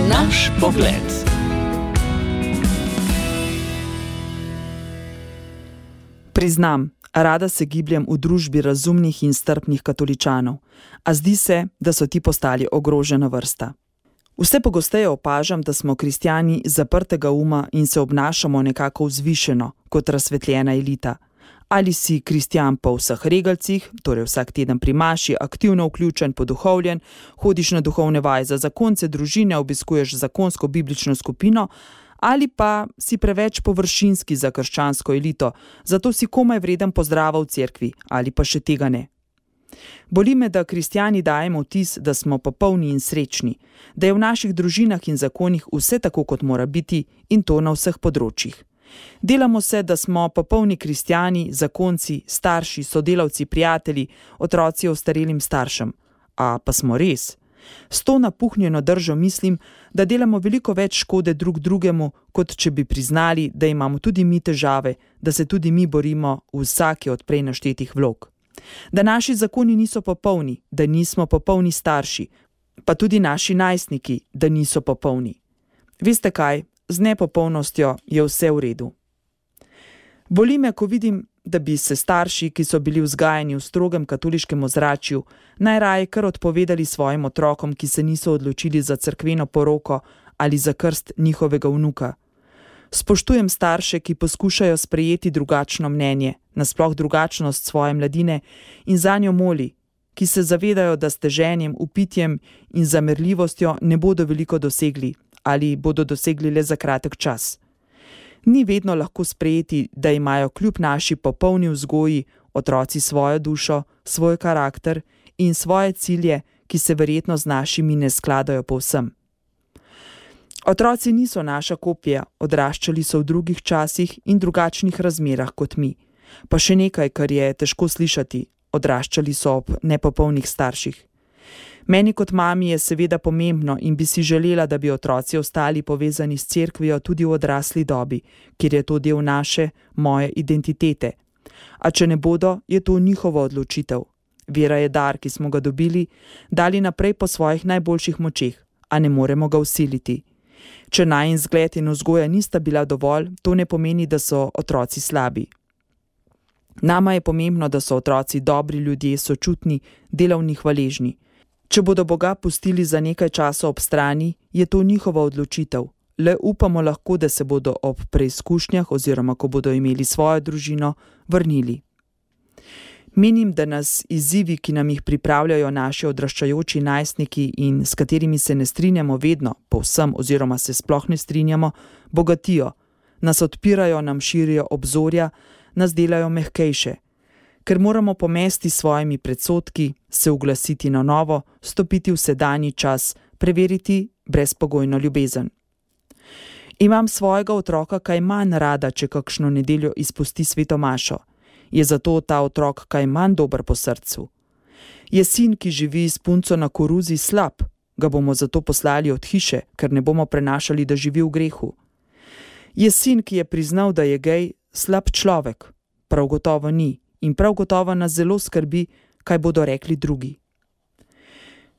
Naš pogled. Priznam, rada se gibljem v družbi razumnih in strpnih katoličanov, a zdi se, da so ti postali ogrožena vrsta. Vse pogosteje opažam, da smo kristjani zaprtega uma in se obnašamo nekako vzvišeno, kot razsvetljena elita. Ali si kristjan po vseh regalcih, torej vsak teden pri maši, aktivno vključen, poduhovljen, hodiš na duhovne vaje za zakonce, družine, obiskuješ zakonsko biblično skupino, ali pa si preveč površinski za krščansko elito, zato si komaj vreden pozdrava v cerkvi, ali pa še tega ne. Boli me, da kristjani dajemo vtis, da smo popolni in srečni, da je v naših družinah in zakonih vse tako, kot mora biti, in to na vseh področjih. Delamo se, da smo popolni kristjani, zakonci, starši, sodelavci, prijatelji, otroci ostarelim staršem. A pa smo res? S to napuhnjeno držo mislim, da delamo veliko več škode drug drugemu, kot če bi priznali, da imamo tudi mi težave, da se tudi mi borimo v vsaki od prej naštetih vlog. Da naši zakoni niso popolni, da nismo popolni starši, pa tudi naši najstniki, da niso popolni. Veste kaj, z nepopolnostjo je vse v redu. Boli me, ko vidim, da bi se starši, ki so bili vzgajani v strogem katoliškem ozračju, najraje kar odpovedali svojim otrokom, ki se niso odločili za cerkveno poroko ali za krst njihovega vnuka. Spoštujem starše, ki poskušajo sprejeti drugačno mnenje, nasploh drugačnost svoje mladine in zanjo moli, ki se zavedajo, da s teženjem, upitjem in zamerljivostjo ne bodo veliko dosegli ali bodo dosegli le za kratek čas. Ni vedno lahko sprejeti, da imajo kljub naši popolni vzgoji otroci svojo dušo, svoj karakter in svoje cilje, ki se verjetno z našimi ne skladajo povsem. Otroci niso naša kopija, odraščali so v drugih časih in drugačnih razmerah kot mi. Pa še nekaj, kar je težko slišati, odraščali so ob nepopolnih starših. Meni kot mami je seveda pomembno in bi si želela, da bi otroci ostali povezani s cerkvijo tudi v odrasli dobi, kjer je to del naše, moje identitete. A če ne bodo, je to njihova odločitev. Vera je dar, ki smo ga dobili, dali naprej po svojih najboljših močeh, a ne moremo ga vsiliti. Če najin zgled in vzgoja nista bila dovolj, to ne pomeni, da so otroci slabi. Nama je pomembno, da so otroci dobri ljudje, sočutni, delavni, hvaležni. Če bodo Boga pustili za nekaj časa ob strani, je to njihova odločitev. Le upamo lahko, da se bodo ob preizkušnjah oziroma ko bodo imeli svojo družino, vrnili. Menim, da nas izzivi, ki nam jih pripravljajo naši odraščajoči najstniki in s katerimi se ne strinjamo vedno, povsem oziroma se sploh ne strinjamo, bogatijo, nas odpirajo, nam širijo obzorja, nas delajo mehkejše. Ker moramo pomesti svojimi predsodki, se uglasiti na novo, stopiti v sedanji čas, preveriti brezpogojno ljubezen. Imam svojega otroka kaj manj rada, če kakšno nedeljo izpusti sveto mašo. Je zato ta otrok kaj manj dober po srcu. Je sin, ki živi s punco na koruzi, slab, ga bomo zato poslali od hiše, ker ne bomo prenašali, da živi v grehu. Je sin, ki je priznal, da je gej, slab človek, prav gotovo ni. In prav gotovo nas zelo skrbi, kaj bodo rekli drugi.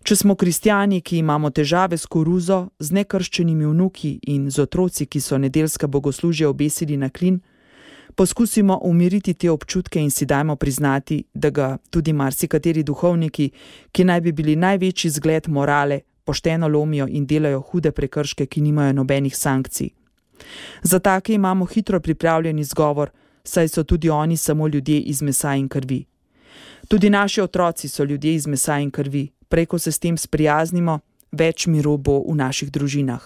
Če smo kristjani, ki imamo težave s koruzo, z nekrščenimi vnuki in z otroci, ki so nedeljska bogoslužja obesili na klin, poskusimo umiriti te občutke in si dajmo priznati, da ga tudi marsikateri duhovniki, ki naj bi bili največji zgled morale, pošteno lomijo in delajo hude prekrške, ki nimajo nobenih sankcij. Za take imamo hitro pripravljen izgovor, saj so tudi oni samo ljudje iz mesa in krvi. Tudi naši otroci so ljudje iz mesa in krvi. Prej, ko se s tem sprijaznimo, več miru bo v naših družinah.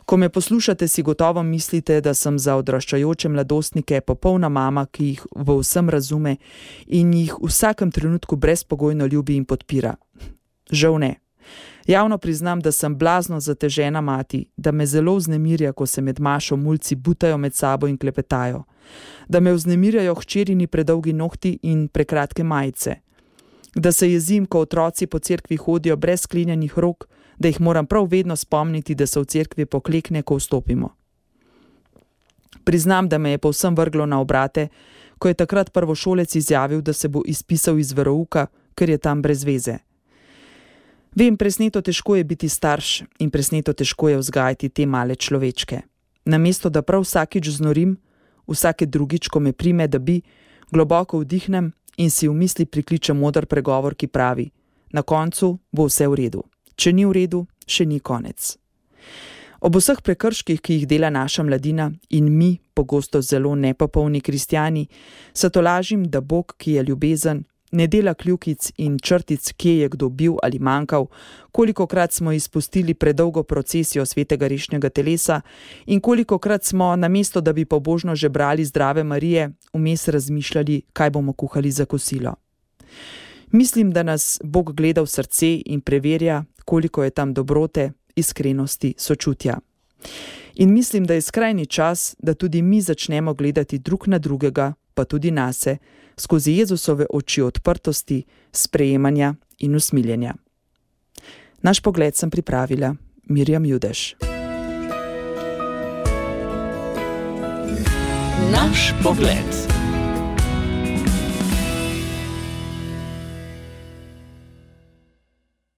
Ko me poslušate, si gotovo mislite, da sem za odraščajoče mladostnike popolna mama, ki jih v vsem razume in jih v vsakem trenutku brezpogojno ljubi in podpira. Žal ne. Javno priznam, da sem blazno zatežena mati, da me zelo vznemirja, ko se med mašo mulci butajo med sabo in klepetajo, da me vznemirjajo hčerini predolgi nohti in prekratke majice, da se jezim, ko otroci po cerkvi hodijo brez sklenjenih rok, da jih moram prav vedno spomniti, da se v cerkvi poklekne, ko vstopimo. Priznam, da me je povsem vrglo na obrate, ko je takrat prvošolec izjavil, da se bo izpisal iz verouka, ker je tam brez veze. Vem, presneto težko je biti starš in presneto težko je vzgajati te male človečke. Namesto, da prav vsakič znorim, vsake drugič, ko me prime, da bi, globoko vdihnem in si v misli prikličem moder pregovor, ki pravi: na koncu bo vse v redu. Če ni v redu, še ni konec. Ob vseh prekrških, ki jih dela naša mladina in mi, pogosto zelo nepopolni kristjani, se tolažim, da Bog, ki je ljubezen, ne dela kljukic in črtic, kje je kdo bil ali manjkal, kolikokrat smo izpustili predolgo procesijo svetega rešnjega telesa in kolikokrat smo, namesto da bi pobožno žebrali zdrave Marije, vmes razmišljali, kaj bomo kuhali za kosilo. Mislim, da nas Bog gleda v srce in preverja, koliko je tam dobrote, iskrenosti, sočutja. In mislim, da je skrajni čas, da tudi mi začnemo gledati drug na drugega, pa tudi nase, skozi Jezusove oči odprtosti, sprejemanja in usmiljenja. Naš pogled sem pripravila Mirjam Judež. Naš pogled.